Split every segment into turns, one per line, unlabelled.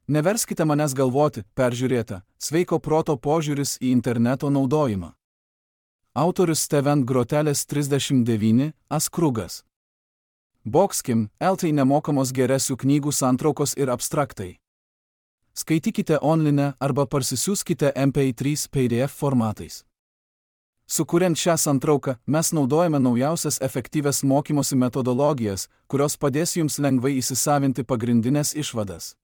Neverskite manęs galvoti, peržiūrėta, sveiko proto požiūris į interneto naudojimą. Autorius Steven Grotelis 39, Askrugas. Boxkim, LT nemokamos geresių knygų santraukos ir abstraktai. Skaitykite online arba parsisiųskite MP3 PDF formatais. Sukuriant šią santrauką, mes naudojame naujausias efektyvias mokymosi metodologijas, kurios padės jums lengvai įsisavinti pagrindinės išvadas.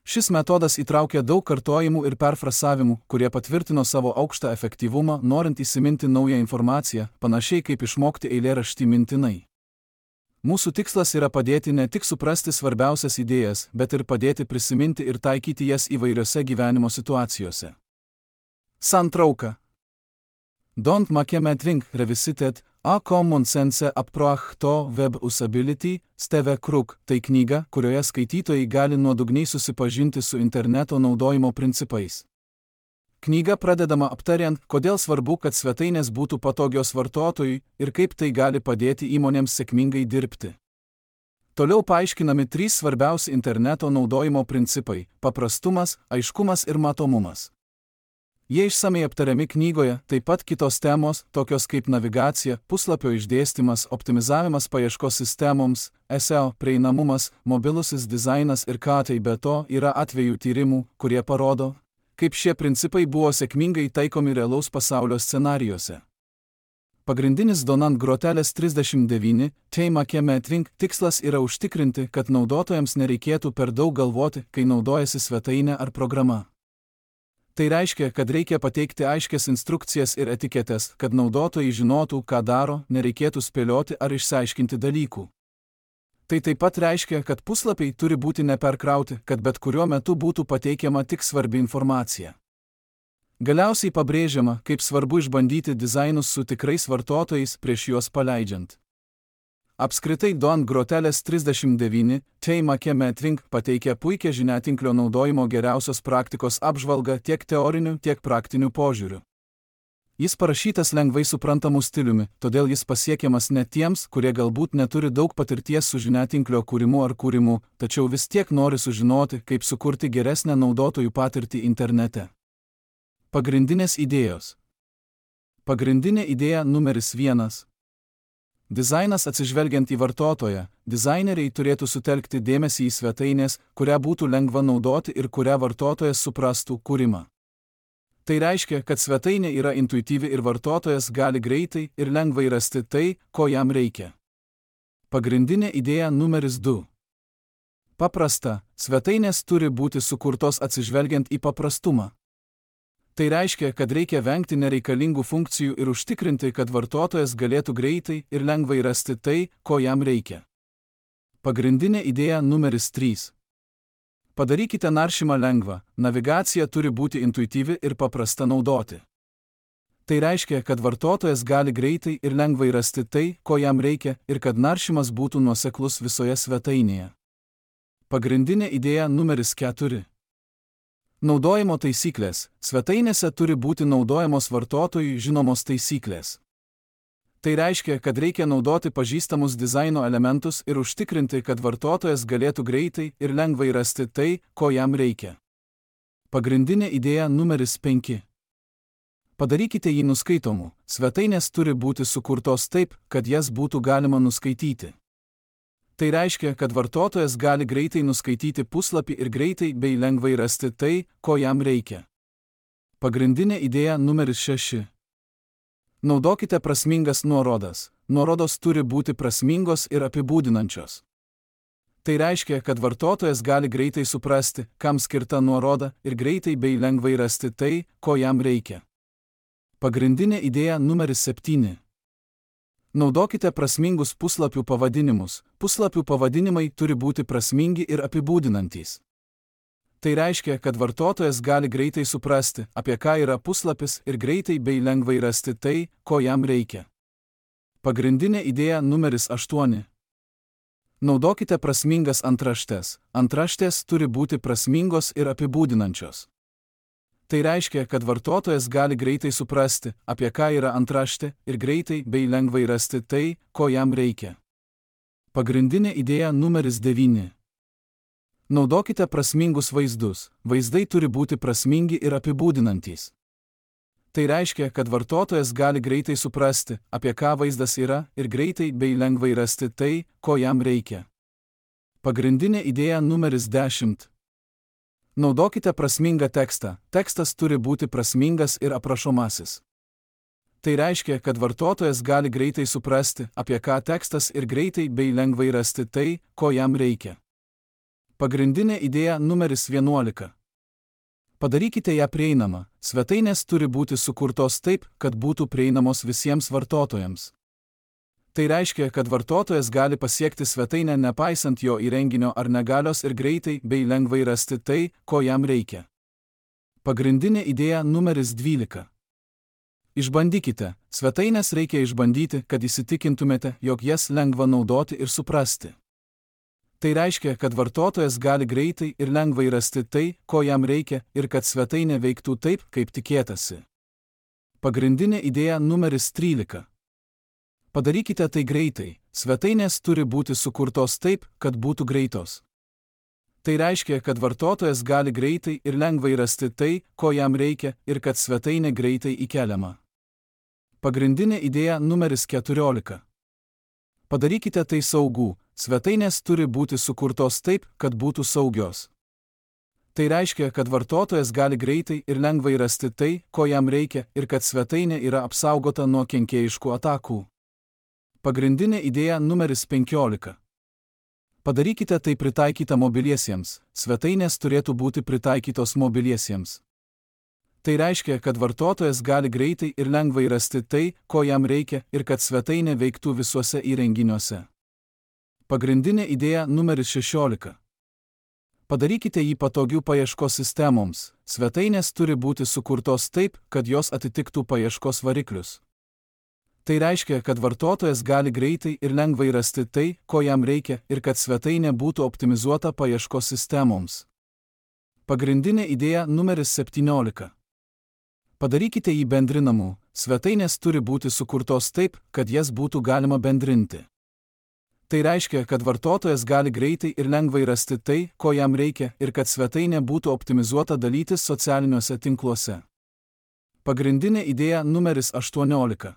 Šis metodas įtraukia daug kartojimų ir perfrasavimų, kurie patvirtino savo aukštą efektyvumą, norint įsiminti naują informaciją, panašiai kaip išmokti eilėraštį mintinai. Mūsų tikslas yra padėti ne tik suprasti svarbiausias idėjas, bet ir padėti prisiminti ir taikyti jas įvairiose gyvenimo situacijose. Santrauka. Don't make me think revisited, a common sense approach to web usability, Steve Krug, tai knyga, kurioje skaitytojai gali nuodugniai susipažinti su interneto naudojimo principais. Knyga pradedama aptariant, kodėl svarbu, kad svetainės būtų patogios vartotojui ir kaip tai gali padėti įmonėms sėkmingai dirbti. Toliau paaiškinami 3 svarbiausi interneto naudojimo principai – paprastumas, aiškumas ir matomumas. Jie išsamei aptariami knygoje, taip pat kitos temos, tokios kaip navigacija, puslapio išdėstymas, optimizavimas paieškos sistemoms, SEO, prieinamumas, mobilusis dizainas ir ką tai be to yra atvejų tyrimų, kurie parodo, kaip šie principai buvo sėkmingai taikomi realaus pasaulio scenarijuose. Pagrindinis Donant Grotelis 39, Make me think tikslas yra užtikrinti, kad naudotojams nereikėtų per daug galvoti, kai naudojasi svetainė ar programa. Tai reiškia, kad reikia pateikti aiškias instrukcijas ir etiketes, kad naudotojai žinotų, ką daro, nereikėtų spėlioti ar išsiaiškinti dalykų. Tai taip pat reiškia, kad puslapiai turi būti neperkrauti, kad bet kuriuo metu būtų pateikiama tik svarbi informacija. Galiausiai pabrėžiama, kaip svarbu išbandyti dizainus su tikrais vartotojais prieš juos paleidžiant. Apskritai Donant Grotelis 39, Make me think pateikia puikią žiniatinklio naudojimo geriausios praktikos apžvalgą tiek teoriniu, tiek praktiniu požiūriu. Jis parašytas lengvai suprantamu stiliumi, todėl jis pasiekiamas ne tiems, kurie galbūt neturi daug patirties su žiniatinklio kūrimu ar kūrimu, tačiau vis tiek nori sužinoti, kaip sukurti geresnę naudotojų patirtį internete. Pagrindinės idėjos. Pagrindinė idėja numeris 1. Dizainas atsižvelgiant į vartotoją, dizaineriai turėtų sutelkti dėmesį į svetainės, kurią būtų lengva naudoti ir kurią vartotojas suprastų kūrimą. Tai reiškia, kad svetainė yra intuityvi ir vartotojas gali greitai ir lengvai rasti tai, ko jam reikia. Pagrindinė idėja numeris 2. Paprasta, svetainės turi būti sukurtos atsižvelgiant į paprastumą. Tai reiškia, kad reikia vengti nereikalingų funkcijų ir užtikrinti, kad vartotojas galėtų greitai ir lengvai rasti tai, ko jam reikia. Pagrindinė idėja numeris 3. Padarykite naršymą lengvą, navigacija turi būti intuityvi ir paprasta naudoti. Tai reiškia, kad vartotojas gali greitai ir lengvai rasti tai, ko jam reikia ir kad naršymas būtų nuoseklus visoje svetainėje. Pagrindinė idėja numeris 4. Naudojimo taisyklės. Svetainėse turi būti naudojamos vartotojui žinomos taisyklės. Tai reiškia, kad reikia naudoti pažįstamus dizaino elementus ir užtikrinti, kad vartotojas galėtų greitai ir lengvai rasti tai, ko jam reikia. Pagrindinė idėja numeris 5. Padarykite jį nuskaitomu. Svetainės turi būti sukurtos taip, kad jas būtų galima nuskaityti. Tai reiškia, kad vartotojas gali greitai nuskaityti puslapį ir greitai bei lengvai rasti tai, ko jam reikia. Pagrindinė idėja numeris 6. Naudokite prasmingas nuorodas. Nuorodos turi būti prasmingos ir apibūdinančios. Tai reiškia, kad vartotojas gali greitai suprasti, kam skirta nuoroda ir greitai bei lengvai rasti tai, ko jam reikia. Pagrindinė idėja numeris 7. Naudokite prasmingus puslapių pavadinimus. Puslapių pavadinimai turi būti prasmingi ir apibūdinantys. Tai reiškia, kad vartotojas gali greitai suprasti, apie ką yra puslapis ir greitai bei lengvai rasti tai, ko jam reikia. Pagrindinė idėja numeris 8. Naudokite prasmingas antraštes. Antraštės turi būti prasmingos ir apibūdinančios. Tai reiškia, kad vartotojas gali greitai suprasti, apie ką yra antraštė ir greitai bei lengvai rasti tai, ko jam reikia. Pagrindinė idėja numeris 9. Naudokite prasmingus vaizdus. Vaizdai turi būti prasmingi ir apibūdinantys. Tai reiškia, kad vartotojas gali greitai suprasti, apie ką vaizdas yra, ir greitai bei lengvai rasti tai, ko jam reikia. Pagrindinė idėja numeris 10. Naudokite prasmingą tekstą. Tekstas turi būti prasmingas ir aprašomasis. Tai reiškia, kad vartotojas gali greitai suprasti, apie ką tekstas ir greitai bei lengvai rasti tai, ko jam reikia. Pagrindinė idėja numeris 11. Padarykite ją prieinamą. Svetainės turi būti sukurtos taip, kad būtų prieinamos visiems vartotojams. Tai reiškia, kad vartotojas gali pasiekti svetainę nepaisant jo įrenginio ar negalios ir greitai bei lengvai rasti tai, ko jam reikia. Pagrindinė idėja numeris 12. Išbandykite. Svetainės reikia išbandyti, kad įsitikintumėte, jog jas lengva naudoti ir suprasti. Tai reiškia, kad vartotojas gali greitai ir lengvai rasti tai, ko jam reikia, ir kad svetainė veiktų taip, kaip tikėtasi. Pagrindinė idėja numeris 13. Padarykite tai greitai. Svetainės turi būti sukurtos taip, kad būtų greitos. Tai reiškia, kad vartotojas gali greitai ir lengvai rasti tai, ko jam reikia, ir kad svetainė greitai įkeliama. Pagrindinė idėja numeris 14. Padarykite tai saugų. Svetainės turi būti sukurtos taip, kad būtų saugios. Tai reiškia, kad vartotojas gali greitai ir lengvai rasti tai, ko jam reikia, ir kad svetainė yra apsaugota nuo kenkėjiškų atakų. Pagrindinė idėja numeris 15. Padarykite tai pritaikyta mobiliesiems. Svetainės turėtų būti pritaikytos mobiliesiems. Tai reiškia, kad vartotojas gali greitai ir lengvai rasti tai, ko jam reikia, ir kad svetainė veiktų visuose įrenginiuose. Pagrindinė idėja numeris 16. Padarykite jį patogių paieškos sistemoms. Svetainės turi būti sukurtos taip, kad jos atitiktų paieškos variklius. Tai reiškia, kad vartotojas gali greitai ir lengvai rasti tai, ko jam reikia, ir kad svetainė būtų optimizuota paieškos sistemoms. Pagrindinė idėja numeris 17. Padarykite jį bendrinamu. Svetainės turi būti sukurtos taip, kad jas būtų galima bendrinti. Tai reiškia, kad vartotojas gali greitai ir lengvai rasti tai, ko jam reikia, ir kad svetainė būtų optimizuota dalytis socialiniuose tinkluose. Pagrindinė idėja numeris 18.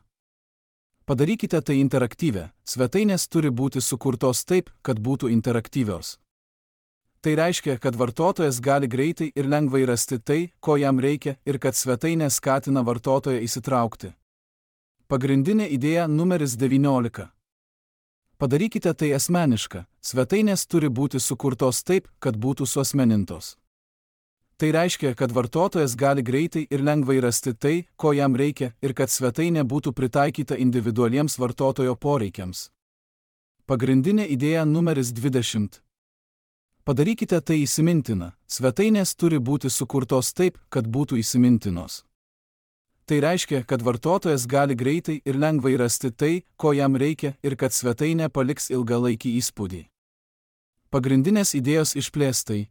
Padarykite tai interaktyvę. Svetainės turi būti sukurtos taip, kad būtų interaktyvios. Tai reiškia, kad vartotojas gali greitai ir lengvai rasti tai, ko jam reikia, ir kad svetainė skatina vartotoją įsitraukti. Pagrindinė idėja numeris 19. Padarykite tai asmeniška. Svetainės turi būti sukurtos taip, kad būtų suasmenintos. Tai reiškia, kad vartotojas gali greitai ir lengvai rasti tai, ko jam reikia, ir kad svetainė būtų pritaikyta individualiems vartotojo poreikiams. Pagrindinė idėja numeris 20. Padarykite tai įsimintina. Svetainės turi būti sukurtos taip, kad būtų įsimintinos. Tai reiškia, kad vartotojas gali greitai ir lengvai rasti tai, ko jam reikia, ir kad svetainė paliks ilgalaikį įspūdį. Pagrindinės idėjos išplėstai.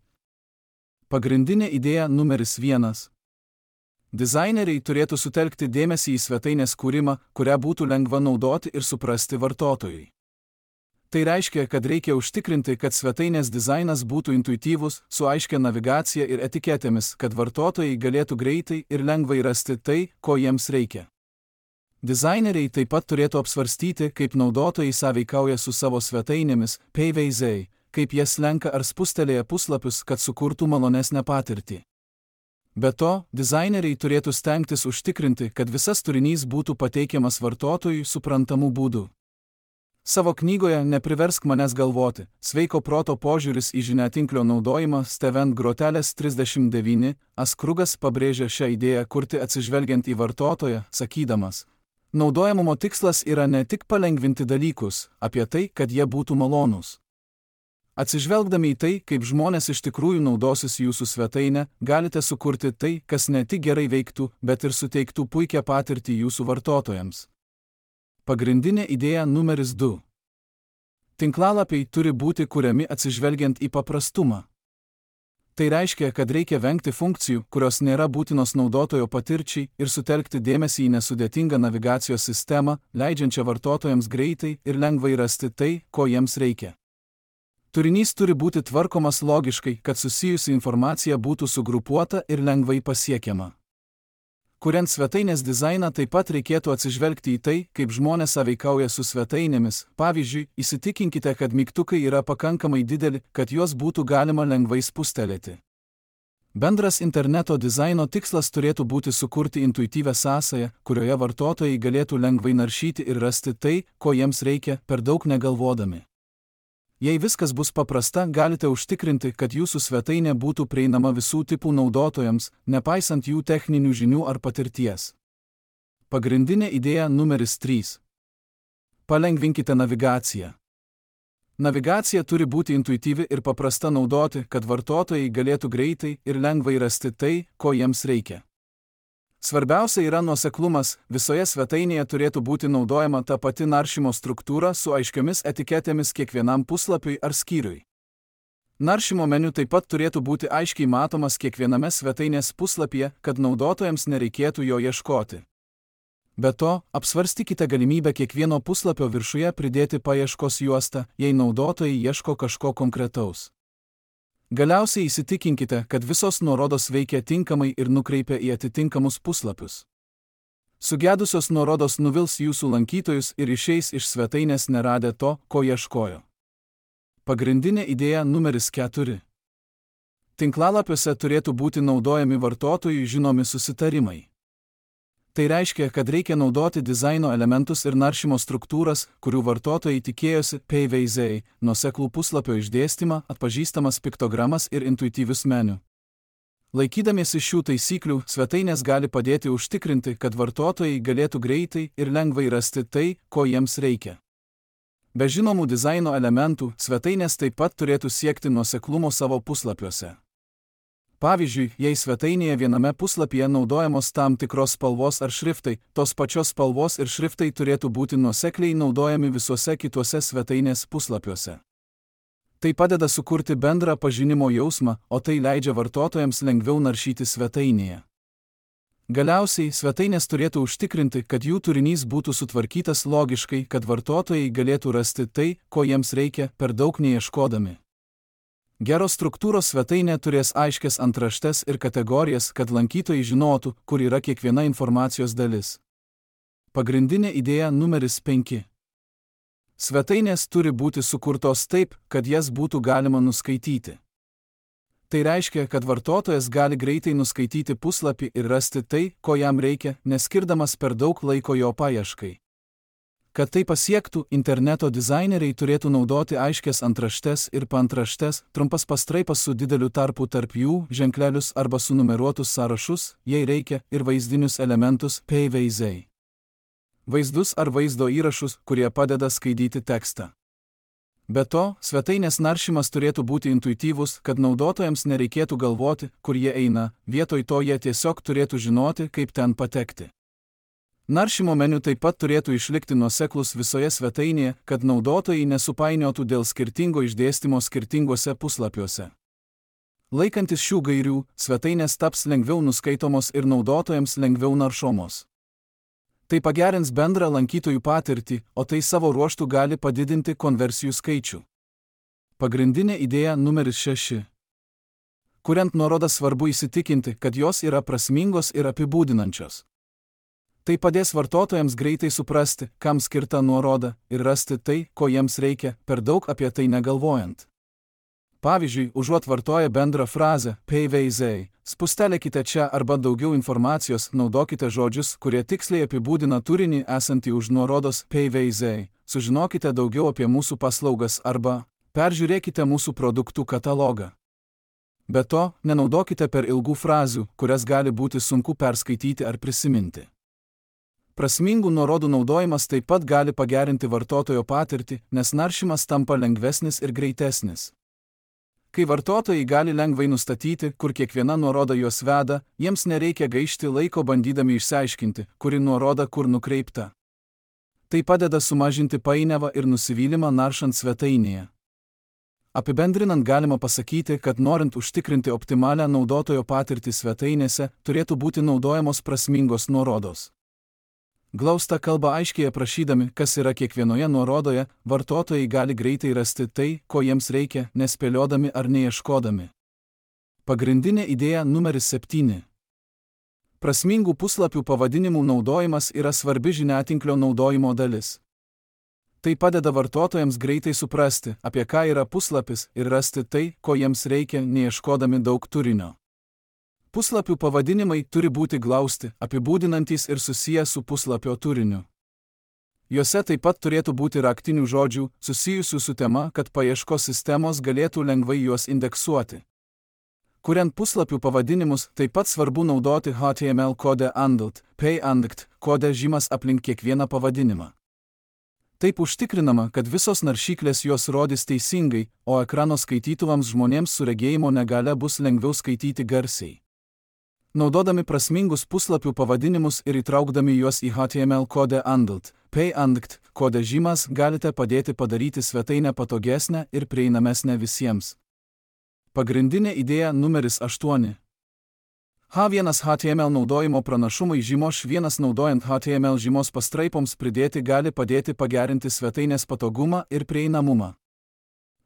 Pagrindinė idėja numeris 1. Dizaineriai turėtų sutelkti dėmesį į svetainės kūrimą, kurią būtų lengva naudoti ir suprasti vartotojui. Tai reiškia, kad reikia užtikrinti, kad svetainės dizainas būtų intuityvus, su aiškia navigacija ir etiketėmis, kad vartotojai galėtų greitai ir lengvai rasti tai, ko jiems reikia. Dizaineriai taip pat turėtų apsvarstyti, kaip naudotojai sąveikauja su savo svetainėmis, PVZ, kaip jas lenka ar spustelėja puslapius, kad sukurtų malonesnę patirtį. Be to, dizaineriai turėtų stengtis užtikrinti, kad visas turinys būtų pateikiamas vartotojui suprantamu būdu. Savo knygoje Nepriversk manęs galvoti. Sveiko proto požiūris į žiniatinklio naudojimą Steven Grotelis 39 Askrugas pabrėžia šią idėją kurti atsižvelgiant į vartotoją, sakydamas: naudojamumo tikslas yra ne tik palengvinti dalykus, apie tai, kad jie būtų malonūs. Atsižvelgdami į tai, kaip žmonės iš tikrųjų naudosis jūsų svetainę, galite sukurti tai, kas ne tik gerai veiktų, bet ir suteiktų puikią patirtį jūsų vartotojams. Pagrindinė idėja numeris 2. Tinklalapiai turi būti kuriami atsižvelgiant į paprastumą. Tai reiškia, kad reikia vengti funkcijų, kurios nėra būtinos naudotojo patirčiai, ir sutelkti dėmesį į nesudėtingą navigacijos sistemą, leidžiančią vartotojams greitai ir lengvai rasti tai, ko jiems reikia. Turinys turi būti tvarkomas logiškai, kad susijusi informacija būtų sugrupuota ir lengvai pasiekiama. Kuriant svetainės dizainą, taip pat reikėtų atsižvelgti į tai, kaip žmonės sąveikauja su svetainėmis. Pavyzdžiui, įsitikinkite, kad mygtukai yra pakankamai dideli, kad juos būtų galima lengvai spustelėti. Bendras interneto dizaino tikslas turėtų būti sukurti intuityvią sąsają, kurioje vartotojai galėtų lengvai naršyti ir rasti tai, ko jiems reikia, per daug negalvodami. Jei viskas bus paprasta, galite užtikrinti, kad jūsų svetainė būtų prieinama visų tipų naudotojams, nepaisant jų techninių žinių ar patirties. Pagrindinė idėja numeris 3. Palengvinkite navigaciją. Navigacija turi būti intuityvi ir paprasta naudoti, kad vartotojai galėtų greitai ir lengvai rasti tai, ko jiems reikia. Svarbiausia yra nuoseklumas, visoje svetainėje turėtų būti naudojama ta pati naršymo struktūra su aiškiomis etiketėmis kiekvienam puslapiui ar skyriui. Naršymo meniu taip pat turėtų būti aiškiai matomas kiekviename svetainės puslapyje, kad naudotojams nereikėtų jo ieškoti. Be to, apsvarstykite galimybę kiekvieno puslapio viršuje pridėti paieškos juostą, jei naudotojai ieško kažko konkretaus. Galiausiai įsitikinkite, kad visos nuorodos veikia tinkamai ir nukreipia į atitinkamus puslapius. Sugedusios nuorodos nuvils jūsų lankytojus ir išeis iš svetainės neradę to, ko ieškojo. Pagrindinė idėja numeris 4. Tinklalapiuose turėtų būti naudojami vartotojui žinomi susitarimai. Tai reiškia, kad reikia naudoti dizaino elementus ir naršymo struktūras, kurių vartotojai tikėjosi, PVZ, nuoseklų puslapio išdėstymą, atpažįstamas piktogramas ir intuityvius meniu. Laikydamiesi šių taisyklių, svetainės gali padėti užtikrinti, kad vartotojai galėtų greitai ir lengvai rasti tai, ko jiems reikia. Be žinomų dizaino elementų, svetainės taip pat turėtų siekti nuoseklumo savo puslapiuose. Pavyzdžiui, jei svetainėje viename puslapyje naudojamos tam tikros spalvos ar šriftai, tos pačios spalvos ir šriftai turėtų būti nuosekliai naudojami visuose kituose svetainės puslapiuose. Tai padeda sukurti bendrą pažinimo jausmą, o tai leidžia vartotojams lengviau naršyti svetainėje. Galiausiai, svetainės turėtų užtikrinti, kad jų turinys būtų sutvarkytas logiškai, kad vartotojai galėtų rasti tai, ko jiems reikia, per daug neieškodami. Geros struktūros svetainė turės aiškias antraštes ir kategorijas, kad lankytojai žinotų, kur yra kiekviena informacijos dalis. Pagrindinė idėja numeris 5. Svetainės turi būti sukurtos taip, kad jas būtų galima nuskaityti. Tai reiškia, kad vartotojas gali greitai nuskaityti puslapį ir rasti tai, ko jam reikia, neskirdamas per daug laiko jo paieškai. Kad tai pasiektų, interneto dizaineriai turėtų naudoti aiškias antraštes ir paantraštes, trumpas pastraipas su dideliu tarpu tarp jų, ženklelius arba sunumeruotus sąrašus, jei reikia, ir vaizdinius elementus, PVZ. Vaizdus ar vaizdo įrašus, kurie padeda skaityti tekstą. Be to, svetainės naršymas turėtų būti intuityvus, kad naudotojams nereikėtų galvoti, kur jie eina, vietoj to jie tiesiog turėtų žinoti, kaip ten patekti. Naršymo meniu taip pat turėtų išlikti nuoseklus visoje svetainėje, kad naudotojai nesupainiotų dėl skirtingo išdėstymo skirtinguose puslapiuose. Laikantis šių gairių, svetainės taps lengviau nuskaitomos ir naudotojams lengviau naršomos. Tai pagerins bendrą lankytojų patirtį, o tai savo ruožtu gali padidinti konversijų skaičių. Pagrindinė idėja numeris 6. Kuriant nuorodas svarbu įsitikinti, kad jos yra prasmingos ir apibūdinančios. Tai padės vartotojams greitai suprasti, kam skirta nuoroda, ir rasti tai, ko jiems reikia, per daug apie tai negalvojant. Pavyzdžiui, užuot vartoję bendrą frazę PVZ, spustelėkite čia arba daugiau informacijos, naudokite žodžius, kurie tiksliai apibūdina turinį esantį už nuorodos PVZ, sužinokite daugiau apie mūsų paslaugas arba peržiūrėkite mūsų produktų katalogą. Be to, nenaudokite per ilgų frazių, kurias gali būti sunku perskaityti ar prisiminti. Prasmingų nuorodų naudojimas taip pat gali pagerinti vartotojo patirtį, nes naršymas tampa lengvesnis ir greitesnis. Kai vartotojai gali lengvai nustatyti, kur kiekviena nuoroda juos veda, jiems nereikia gaišti laiko bandydami išsiaiškinti, kuri nuoroda kur nukreipta. Tai padeda sumažinti painiavą ir nusivylimą naršant svetainėje. Apibendrinant galima pasakyti, kad norint užtikrinti optimalią naudotojo patirtį svetainėse, turėtų būti naudojamos prasmingos nuorodos. Glaustą kalbą aiškiai aprašydami, kas yra kiekvienoje nuorodoje, vartotojai gali greitai rasti tai, ko jiems reikia, nespėliodami ar neieškodami. Pagrindinė idėja numeris 7. Prasmingų puslapių pavadinimų naudojimas yra svarbi žiniatinklio naudojimo dalis. Tai padeda vartotojams greitai suprasti, apie ką yra puslapis ir rasti tai, ko jiems reikia, neieškodami daug turinio. Puslapių pavadinimai turi būti glausti, apibūdinantys ir susiję su puslapio turiniu. Juose taip pat turėtų būti raktinių žodžių, susijusių su tema, kad paieškos sistemos galėtų lengvai juos indeksuoti. Kuriant puslapių pavadinimus, taip pat svarbu naudoti HTML kodą ANDLT, PANDLT, kodą žymas aplink kiekvieną pavadinimą. Taip užtikrinama, kad visos naršyklės juos rodys teisingai, o ekrano skaitytuvams žmonėms su regėjimo negale bus lengviau skaityti garsiai. Naudodami prasmingus puslapių pavadinimus ir įtraukdami juos į HTML kodą ANDLT, PANDLT kodą žymas galite padėti padaryti svetainę patogesnę ir prieinamesnę visiems. Pagrindinė idėja numeris 8. H1 HTML naudojimo pranašumai žymos 1 naudojant HTML žymos pastraipoms pridėti gali padėti pagerinti svetainės patogumą ir prieinamumą.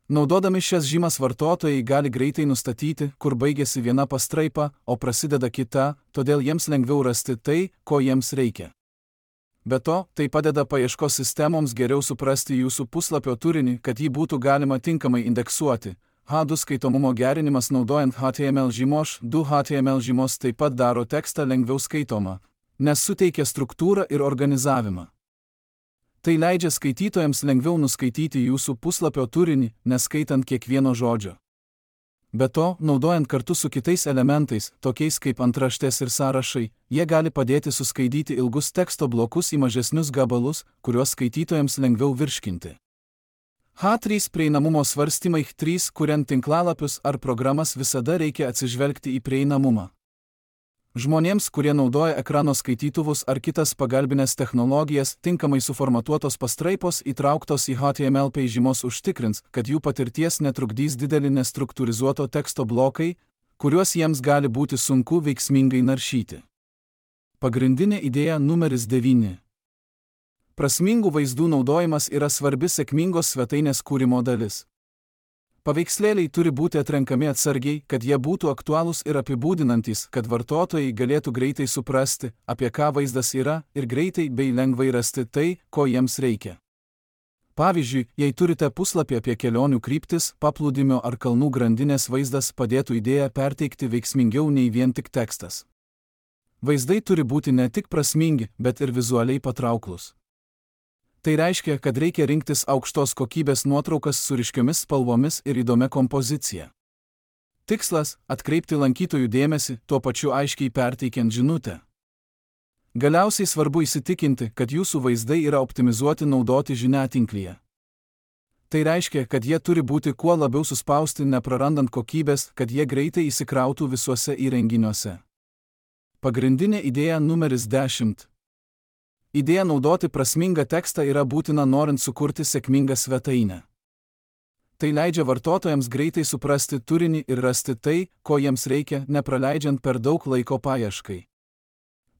Naudodami šias žymas vartotojai gali greitai nustatyti, kur baigėsi viena pastraipa, o prasideda kita, todėl jiems lengviau rasti tai, ko jiems reikia. Be to, tai padeda paieškos sistemoms geriau suprasti jūsų puslapio turinį, kad jį būtų galima tinkamai indeksuoti. H2 skaitomumo gerinimas naudojant HTML žymos 2 HTML žymos taip pat daro tekstą lengviau skaitomą, nes suteikia struktūrą ir organizavimą. Tai leidžia skaitytojams lengviau nuskaityti jūsų puslapio turinį, neskaitant kiekvieno žodžio. Be to, naudojant kartu su kitais elementais, tokiais kaip antraštės ir sąrašai, jie gali padėti suskaidyti ilgus teksto blokus į mažesnius gabalus, kuriuos skaitytojams lengviau virškinti. H3 prieinamumo svarstymai. H3 kuriant tinklalapius ar programas visada reikia atsižvelgti į prieinamumą. Žmonėms, kurie naudoja ekrano skaitytuvus ar kitas pagalbinės technologijas, tinkamai suformatuotos pastraipos įtrauktos į HTML žymos užtikrins, kad jų patirties netrukdys dideli nestruktūrizuoto teksto blokai, kuriuos jiems gali būti sunku veiksmingai naršyti. Pagrindinė idėja numeris 9. Prasmingų vaizdų naudojimas yra svarbi sėkmingos svetainės kūrimo dalis. Paveikslėliai turi būti atrenkami atsargiai, kad jie būtų aktualūs ir apibūdinantys, kad vartotojai galėtų greitai suprasti, apie ką vaizdas yra, ir greitai bei lengvai rasti tai, ko jiems reikia. Pavyzdžiui, jei turite puslapį apie kelionių kryptis, paplūdimio ar kalnų grandinės vaizdas padėtų idėją perteikti veiksmingiau nei vien tik tekstas. Vaizdai turi būti ne tik prasmingi, bet ir vizualiai patrauklūs. Tai reiškia, kad reikia rinktis aukštos kokybės nuotraukas su ryškiomis spalvomis ir įdomia kompozicija. Tikslas – atkreipti lankytojų dėmesį, tuo pačiu aiškiai perteikiant žinutę. Galiausiai svarbu įsitikinti, kad jūsų vaizdai yra optimizuoti naudoti žiniatinklyje. Tai reiškia, kad jie turi būti kuo labiau suspausti, neprarandant kokybės, kad jie greitai įsikrautų visuose įrenginiuose. Pagrindinė idėja numeris 10. Idėja naudoti prasmingą tekstą yra būtina norint sukurti sėkmingą svetainę. Tai leidžia vartotojams greitai suprasti turinį ir rasti tai, ko jiems reikia, nepraleidžiant per daug laiko paieškai.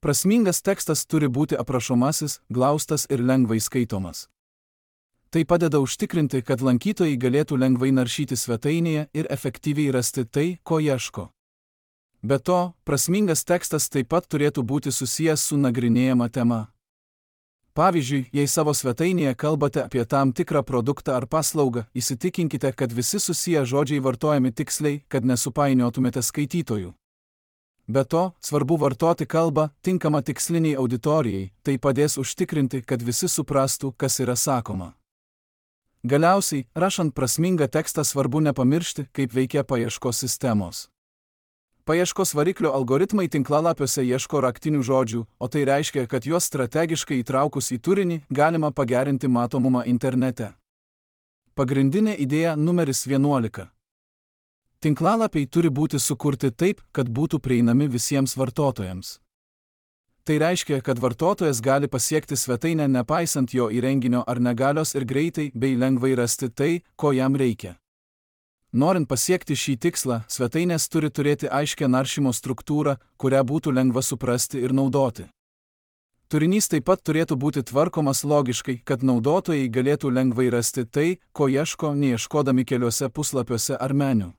Prasmingas tekstas turi būti aprašomasis, glaustas ir lengvai skaitomas. Tai padeda užtikrinti, kad lankytojai galėtų lengvai naršyti svetainėje ir efektyviai rasti tai, ko ieško. Be to, prasmingas tekstas taip pat turėtų būti susijęs su nagrinėjama tema. Pavyzdžiui, jei savo svetainėje kalbate apie tam tikrą produktą ar paslaugą, įsitikinkite, kad visi susiję žodžiai vartojami tiksliai, kad nesupainiotumėte skaitytojų. Be to, svarbu vartoti kalbą tinkamą tiksliniai auditorijai, tai padės užtikrinti, kad visi suprastų, kas yra sakoma. Galiausiai, rašant prasmingą tekstą svarbu nepamiršti, kaip veikia paieškos sistemos. Paieškos variklio algoritmai tinklalapiuose ieško raktinių žodžių, o tai reiškia, kad juos strategiškai įtraukus į turinį galima pagerinti matomumą internete. Pagrindinė idėja numeris 11. Tinklalapiai turi būti sukurti taip, kad būtų prieinami visiems vartotojams. Tai reiškia, kad vartotojas gali pasiekti svetainę nepaisant jo įrenginio ar negalios ir greitai bei lengvai rasti tai, ko jam reikia. Norint pasiekti šį tikslą, svetainės turi turėti aiškią naršymo struktūrą, kurią būtų lengva suprasti ir naudoti. Turinys taip pat turėtų būti tvarkomas logiškai, kad naudotojai galėtų lengvai rasti tai, ko ieško, neieškodami keliuose puslapiuose ar meniu.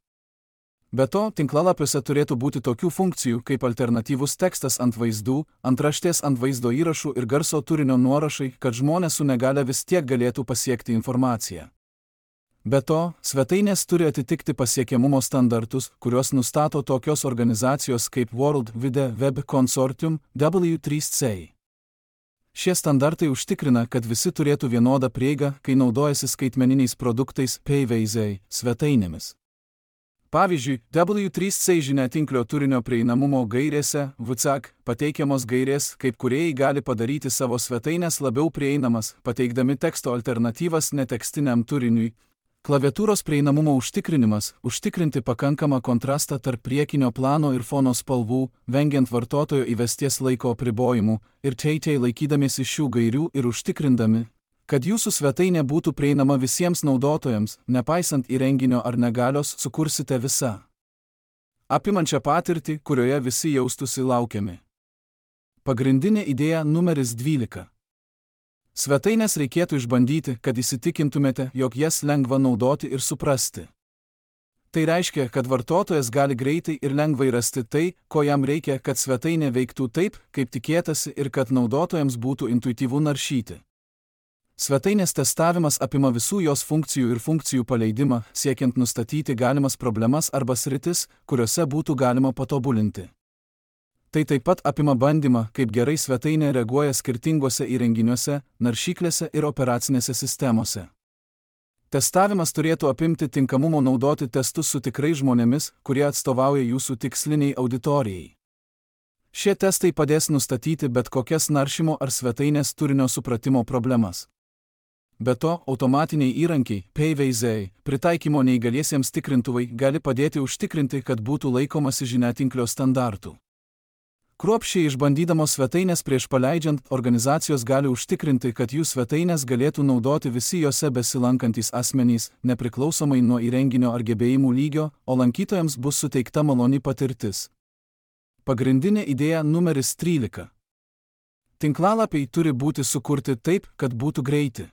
Be to, tinklalapiuose turėtų būti tokių funkcijų kaip alternatyvus tekstas ant vaizdų, antraštės ant vaizdo įrašų ir garso turinio nuorašai, kad žmonės su negale vis tiek galėtų pasiekti informaciją. Be to, svetainės turi atitikti pasiekiamumo standartus, kuriuos nustato tokios organizacijos kaip World Wide Web Consortium W3C. Šie standartai užtikrina, kad visi turėtų vienodą prieigą, kai naudojasi skaitmeniniais produktais PVZ svetainėmis. Pavyzdžiui, W3C žiniatinklio turinio prieinamumo gairėse WCAG pateikiamos gairės, kaip kūrėjai gali padaryti savo svetainės labiau prieinamas, pateikdami teksto alternatyvas netekstiniam turiniui. Klaviatūros prieinamumo užtikrinimas – užtikrinti pakankamą kontrastą tarp priekinio plano ir fono spalvų, vengiant vartotojo įvesties laiko apribojimų, ir teitei laikydamiesi šių gairių ir užtikrindami, kad jūsų svetainė būtų prieinama visiems naudotojams, nepaisant įrenginio ar negalios, sukursite visą apimančią patirtį, kurioje visi jaustųsi laukiami. Pagrindinė idėja numeris 12. Svetainės reikėtų išbandyti, kad įsitikintumėte, jog jas lengva naudoti ir suprasti. Tai reiškia, kad vartotojas gali greitai ir lengvai rasti tai, ko jam reikia, kad svetainė veiktų taip, kaip tikėtasi ir kad naudotojams būtų intuityvu naršyti. Svetainės testavimas apima visų jos funkcijų ir funkcijų paleidimą, siekiant nustatyti galimas problemas arba sritis, kuriuose būtų galima patobulinti. Tai taip pat apima bandymą, kaip gerai svetainė reaguoja skirtingose įrenginiuose, naršyklėse ir operacinėse sistemose. Testavimas turėtų apimti tinkamumo naudoti testus su tikrais žmonėmis, kurie atstovauja jūsų tiksliniai auditorijai. Šie testai padės nustatyti bet kokias naršymo ar svetainės turinio supratimo problemas. Be to, automatiniai įrankiai, PVZ, pritaikymo neįgaliesiems tikrintuvai gali padėti užtikrinti, kad būtų laikomasi žiniatinklio standartų. Kruopščiai išbandydamos svetainės prieš paleidžiant, organizacijos gali užtikrinti, kad jų svetainės galėtų naudoti visi jose besilankantys asmenys, nepriklausomai nuo įrenginio ar gebėjimų lygio, o lankytojams bus suteikta maloni patirtis. Pagrindinė idėja numeris 13. Tinklalapiai turi būti sukurti taip, kad būtų greiti.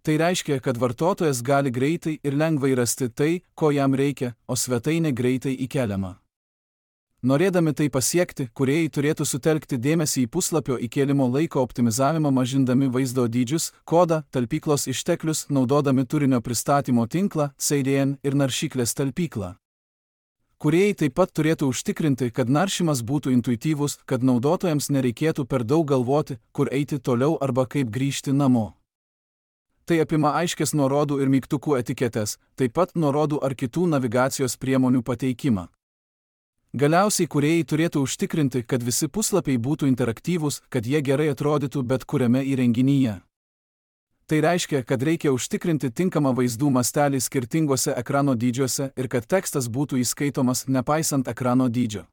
Tai reiškia, kad vartotojas gali greitai ir lengvai rasti tai, ko jam reikia, o svetainė greitai įkeliama. Norėdami tai pasiekti, kūrėjai turėtų sutelkti dėmesį į puslapio įkėlimo laiko optimizavimą, mažindami vaizdo dydžius, kodą, talpyklos išteklius, naudodami turinio pristatymo tinklą, CDN ir naršyklės talpyklą. Kūrėjai taip pat turėtų užtikrinti, kad naršymas būtų intuityvus, kad naudotojams nereikėtų per daug galvoti, kur eiti toliau arba kaip grįžti namo. Tai apima aiškias nuorodų ir mygtukų etiketes, taip pat nuorodų ar kitų navigacijos priemonių pateikimą. Galiausiai kūrėjai turėtų užtikrinti, kad visi puslapiai būtų interaktyvūs, kad jie gerai atrodytų bet kuriame įrenginyje. Tai reiškia, kad reikia užtikrinti tinkamą vaizdų mastelį skirtingose ekrano dydžiuose ir kad tekstas būtų įskaitomas nepaisant ekrano dydžio.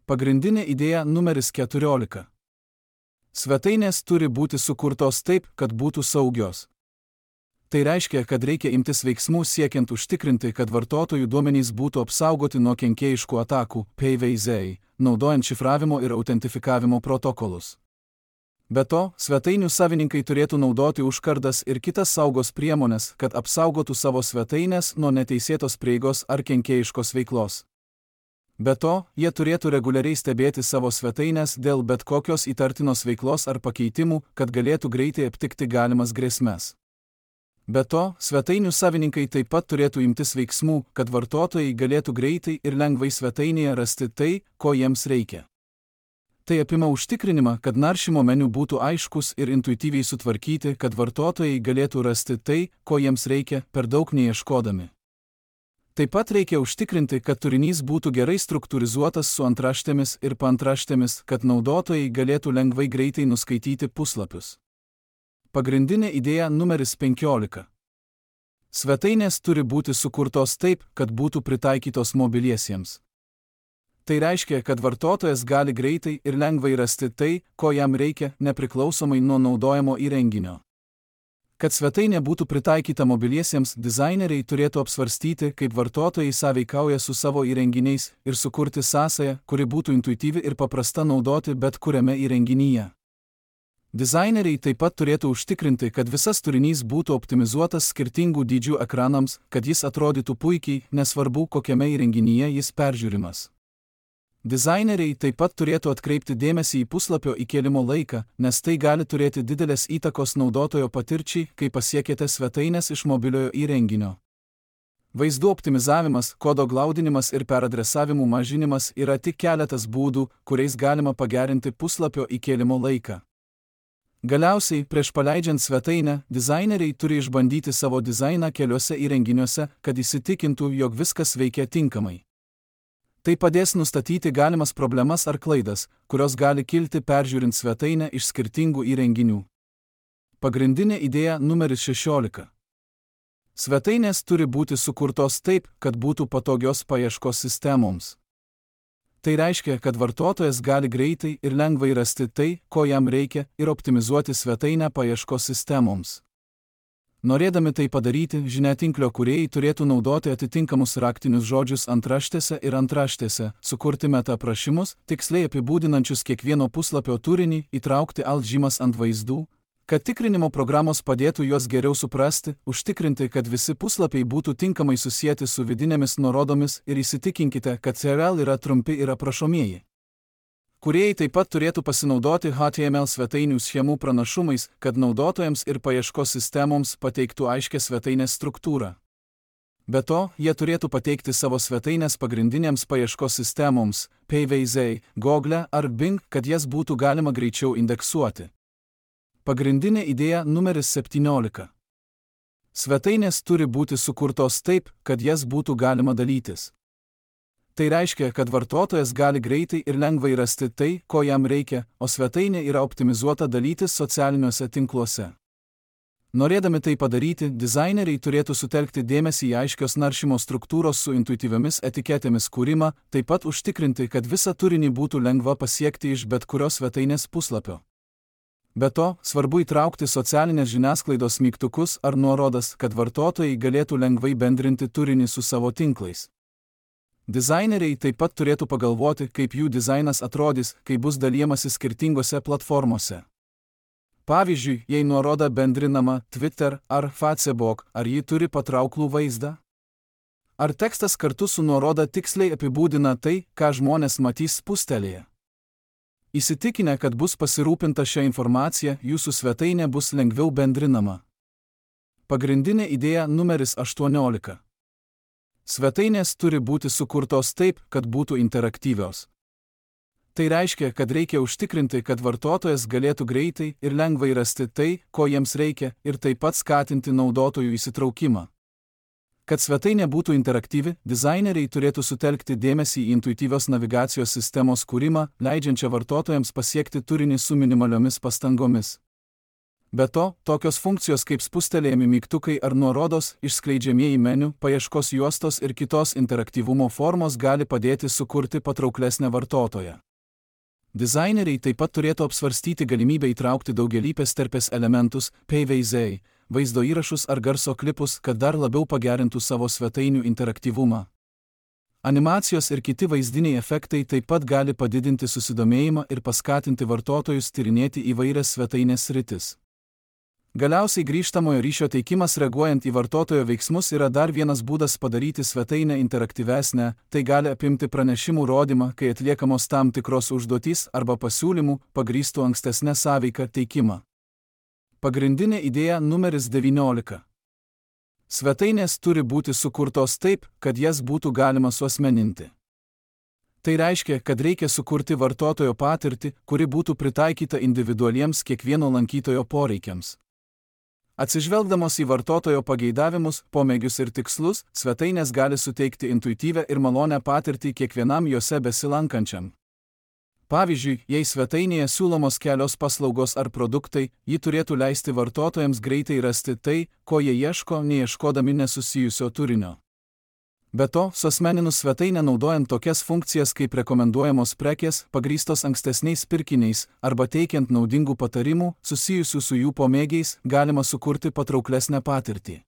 Pagrindinė idėja numeris 14. Svetainės turi būti sukurtos taip, kad būtų saugios. Tai reiškia, kad reikia imtis veiksmų siekiant užtikrinti, kad vartotojų duomenys būtų apsaugoti nuo kenkėjiškų atakų, PVZ, naudojant šifravimo ir autentifikavimo protokolus. Be to, svetainių savininkai turėtų naudoti užkardas ir kitas saugos priemonės, kad apsaugotų savo svetainės nuo neteisėtos prieigos ar kenkėjiškos veiklos. Be to, jie turėtų reguliariai stebėti savo svetainės dėl bet kokios įtartinos veiklos ar pakeitimų, kad galėtų greitai aptikti galimas grėsmes. Be to, svetainių savininkai taip pat turėtų imtis veiksmų, kad vartotojai galėtų greitai ir lengvai svetainėje rasti tai, ko jiems reikia. Tai apima užtikrinimą, kad naršymo meniu būtų aiškus ir intuityviai sutvarkyti, kad vartotojai galėtų rasti tai, ko jiems reikia, per daug neieškodami. Taip pat reikia užtikrinti, kad turinys būtų gerai struktūrizuotas su antraštėmis ir paantraštėmis, kad naudotojai galėtų lengvai greitai nuskaityti puslapius. Pagrindinė idėja numeris 15. Svetainės turi būti sukurtos taip, kad būtų pritaikytos mobiliesiems. Tai reiškia, kad vartotojas gali greitai ir lengvai rasti tai, ko jam reikia, nepriklausomai nuo naudojamo įrenginio. Kad svetainė būtų pritaikyta mobiliesiems, dizaineriai turėtų apsvarstyti, kaip vartotojai sąveikauja su savo įrenginiais ir sukurti sąsają, kuri būtų intuityvi ir paprasta naudoti bet kuriame įrenginyje. Dizaineriai taip pat turėtų užtikrinti, kad visas turinys būtų optimizuotas skirtingų dydžių ekranams, kad jis atrodytų puikiai, nesvarbu, kokiame įrenginyje jis peržiūrimas. Dizaineriai taip pat turėtų atkreipti dėmesį į puslapio įkėlimo laiką, nes tai gali turėti didelės įtakos naudotojo patirčiai, kai pasiekėte svetainės iš mobiliojo įrenginio. Vaizdų optimizavimas, kodo glaudinimas ir peradresavimų mažinimas yra tik keletas būdų, kuriais galima pagerinti puslapio įkėlimo laiką. Galiausiai, prieš paleidžiant svetainę, dizaineriai turi išbandyti savo dizainą keliuose įrenginiuose, kad įsitikintų, jog viskas veikia tinkamai. Tai padės nustatyti galimas problemas ar klaidas, kurios gali kilti peržiūrint svetainę iš skirtingų įrenginių. Pagrindinė idėja numeris 16. Svetainės turi būti sukurtos taip, kad būtų patogios paieškos sistemoms. Tai reiškia, kad vartotojas gali greitai ir lengvai rasti tai, ko jam reikia, ir optimizuoti svetainę paieškos sistemoms. Norėdami tai padaryti, žiniatinklio kūrėjai turėtų naudoti atitinkamus raktinius žodžius antraštėse ir antraštėse, sukurti meta aprašymus, tiksliai apibūdinančius kiekvieno puslapio turinį, įtraukti alt žymas ant vaizdų, kad tikrinimo programos padėtų juos geriau suprasti, užtikrinti, kad visi puslapiai būtų tinkamai susieti su vidinėmis nuorodomis ir įsitikinkite, kad CRL yra trumpi ir aprašomieji. Kūrėjai taip pat turėtų pasinaudoti HTML svetainių schemų pranašumais, kad naudotojams ir paieškos sistemoms pateiktų aiškią svetainės struktūrą. Be to, jie turėtų pateikti savo svetainės pagrindinėms paieškos sistemoms, PVZ, Google ar Bing, kad jas būtų galima greičiau indeksuoti. Pagrindinė idėja numeris 17. Svetainės turi būti sukurtos taip, kad jas būtų galima dalytis. Tai reiškia, kad vartotojas gali greitai ir lengvai rasti tai, ko jam reikia, o svetainė yra optimizuota dalytis socialiniuose tinkluose. Norėdami tai padaryti, dizaineriai turėtų sutelkti dėmesį į aiškios naršymo struktūros su intuityviomis etiketėmis kūrimą, taip pat užtikrinti, kad visą turinį būtų lengva pasiekti iš bet kurios svetainės puslapio. Be to, svarbu įtraukti socialinės žiniasklaidos mygtukus ar nuorodas, kad vartotojai galėtų lengvai bendrinti turinį su savo tinklais. Dizaineriai taip pat turėtų pagalvoti, kaip jų dizainas atrodys, kai bus dalijamasi skirtingose platformose. Pavyzdžiui, jei nuoroda bendrinama Twitter ar Facebook, ar ji turi patrauklų vaizdą? Ar tekstas kartu su nuoroda tiksliai apibūdina tai, ką žmonės matys spustelėje? Įsitikinę, kad bus pasirūpinta šią informaciją, jūsų svetainė bus lengviau bendrinama. Pagrindinė idėja numeris 18. Svetainės turi būti sukurtos taip, kad būtų interaktyvios. Tai reiškia, kad reikia užtikrinti, kad vartotojas galėtų greitai ir lengvai rasti tai, ko jiems reikia, ir taip pat skatinti naudotojų įsitraukimą. Kad svetainė būtų interaktyvi, dizaineriai turėtų sutelkti dėmesį į intuityvios navigacijos sistemos kūrimą, leidžiančią vartotojams pasiekti turinį su minimaliomis pastangomis. Be to, tokios funkcijos kaip spustelėjami mygtukai ar nuorodos, išskleidžiamieji meniu, paieškos juostos ir kitos interaktyvumo formos gali padėti sukurti patrauklesnę vartotoją. Dizaineriai taip pat turėtų apsvarstyti galimybę įtraukti daugialypės terpės elementus, PVZ, vaizdo įrašus ar garso klipus, kad dar labiau pagerintų savo svetainių interaktyvumą. Animacijos ir kiti vaizdiniai efektai taip pat gali padidinti susidomėjimą ir paskatinti vartotojus tyrinėti įvairias svetainės sritis. Galiausiai grįžtamojo ryšio teikimas reaguojant į vartotojo veiksmus yra dar vienas būdas padaryti svetainę interaktyvesnę, tai gali apimti pranešimų rodymą, kai atliekamos tam tikros užduotys arba pasiūlymų, pagrįstų ankstesnę sąveiką teikimą. Pagrindinė idėja numeris 19. Svetainės turi būti sukurtos taip, kad jas būtų galima suasmeninti. Tai reiškia, kad reikia sukurti vartotojo patirtį, kuri būtų pritaikyta individualiems kiekvieno lankytojo poreikiams. Atsižvelgdamos į vartotojo pageidavimus, pomėgius ir tikslus, svetainės gali suteikti intuityvią ir malonią patirtį kiekvienam jose besilankančiam. Pavyzdžiui, jei svetainėje siūlomos kelios paslaugos ar produktai, ji turėtų leisti vartotojams greitai rasti tai, ko jie ieško, neieškodami nesusijusio turinio. Be to, suasmeninus svetainę naudojant tokias funkcijas kaip rekomenduojamos prekės, pagrįstos ankstesniais pirkiniais, arba teikiant naudingų patarimų, susijusių su jų pomėgiais, galima sukurti patrauklesnę patirtį.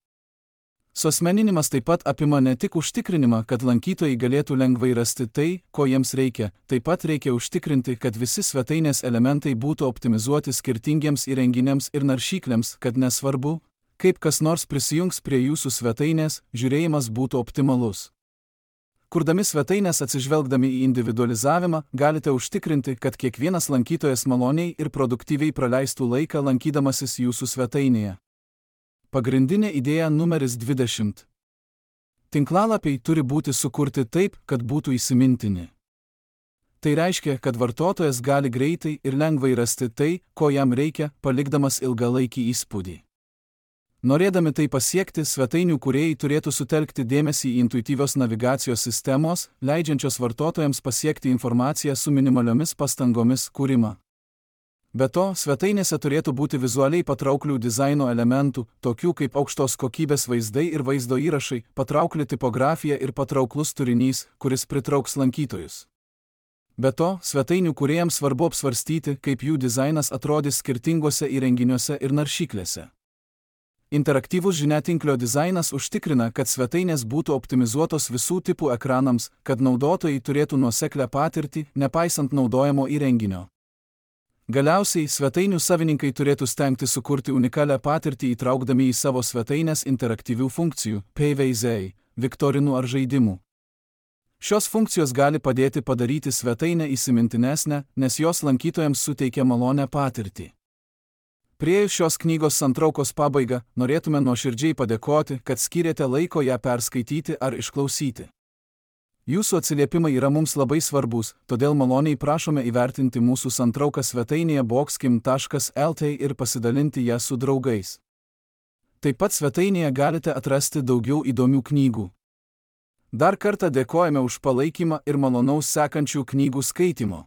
Suasmeninimas taip pat apima ne tik užtikrinimą, kad lankytojai galėtų lengvai rasti tai, ko jiems reikia, taip pat reikia užtikrinti, kad visi svetainės elementai būtų optimizuoti skirtingiems įrenginiams ir naršyklėms, kad nesvarbu, kaip kas nors prisijungs prie jūsų svetainės, žiūrėjimas būtų optimalus. Kurdami svetainės atsižvelgdami į individualizavimą, galite užtikrinti, kad kiekvienas lankytojas maloniai ir produktyviai praleistų laiką lankydamasis jūsų svetainėje. Pagrindinė idėja numeris 20. Tinklalapiai turi būti sukurti taip, kad būtų įsimintini. Tai reiškia, kad vartotojas gali greitai ir lengvai rasti tai, ko jam reikia, palikdamas ilgalaikį įspūdį. Norėdami tai pasiekti, svetainių kūrėjai turėtų sutelkti dėmesį į intuityvios navigacijos sistemos, leidžiančios vartotojams pasiekti informaciją su minimaliomis pastangomis kūrimą. Be to, svetainėse turėtų būti vizualiai patrauklių dizaino elementų, tokių kaip aukštos kokybės vaizdai ir vaizdo įrašai, patraukli tipografija ir patrauklus turinys, kuris pritrauks lankytojus. Be to, svetainių kūrėjams svarbu apsvarstyti, kaip jų dizainas atrodys skirtinguose įrenginiuose ir naršyklėse. Interaktyvus žiniatinklio dizainas užtikrina, kad svetainės būtų optimizuotos visų tipų ekranams, kad naudotojai turėtų nuoseklią patirtį, nepaisant naudojamo įrenginio. Galiausiai, svetainių savininkai turėtų stengti sukurti unikalią patirtį įtraukdami į savo svetainės interaktyvių funkcijų, PVZ, viktorinų ar žaidimų. Šios funkcijos gali padėti padaryti svetainę įsimintinesnę, nes jos lankytojams suteikia malonią patirtį. Priėjus šios knygos santraukos pabaigą, norėtume nuoširdžiai padėkoti, kad skyrėte laiko ją perskaityti ar išklausyti. Jūsų atsiliepimai yra mums labai svarbus, todėl maloniai prašome įvertinti mūsų santrauką svetainėje boxkim.lt ir pasidalinti ją su draugais. Taip pat svetainėje galite atrasti daugiau įdomių knygų. Dar kartą dėkojame už palaikymą ir malonaus sekančių knygų skaitimo.